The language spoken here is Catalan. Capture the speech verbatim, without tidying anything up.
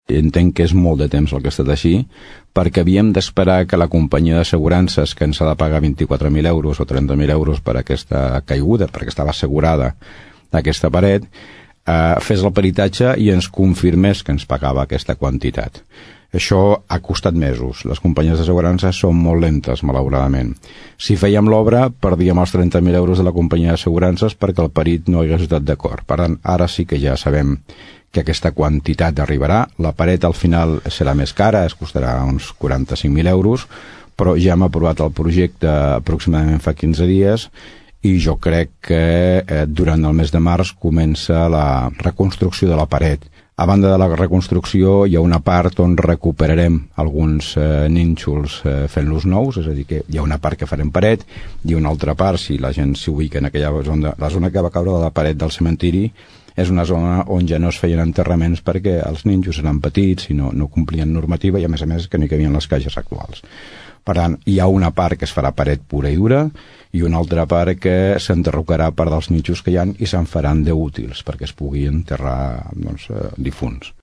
Entenc que és molt de temps el que ha estat així, perquè havíem d'esperar que la companyia d'assegurances, que ens ha de pagar vint-i-quatre mil euros o trenta mil euros per aquesta caiguda, perquè estava assegurada aquesta paret, eh, fes el peritatge i ens confirmés que ens pagava aquesta quantitat. Això ha costat mesos. Les companyies d'assegurances són molt lentes, malauradament. Si fèiem l'obra, perdíem els trenta mil euros de la companyia d'assegurances perquè el perit no hagués estat d'acord. Per tant, ara sí que ja sabem que aquesta quantitat arribarà. La paret al final serà més cara, es costarà uns quaranta-cinc mil euros, però ja hem aprovat el projecte aproximadament fa quinze dies i jo crec que eh, durant el mes de març comença la reconstrucció de la paret. A banda de la reconstrucció hi ha una part on recuperarem alguns eh, nínxols eh, fent-los nous, és a dir, que hi ha una part que farem paret i una altra part, si la gent s'ubica en aquella zona, la zona que va caure de la paret del cementiri és una zona on ja no es feien enterraments perquè els nínxols eren petits i no, no complien normativa i a més a més que no hi cabien les caixes actuals. Per tant, hi ha una part que es farà paret pura i dura i una altra part que s'enderrocarà part dels nínxols que hi ha i se'n faran d'útils perquè es pugui enterrar doncs, eh, difunts.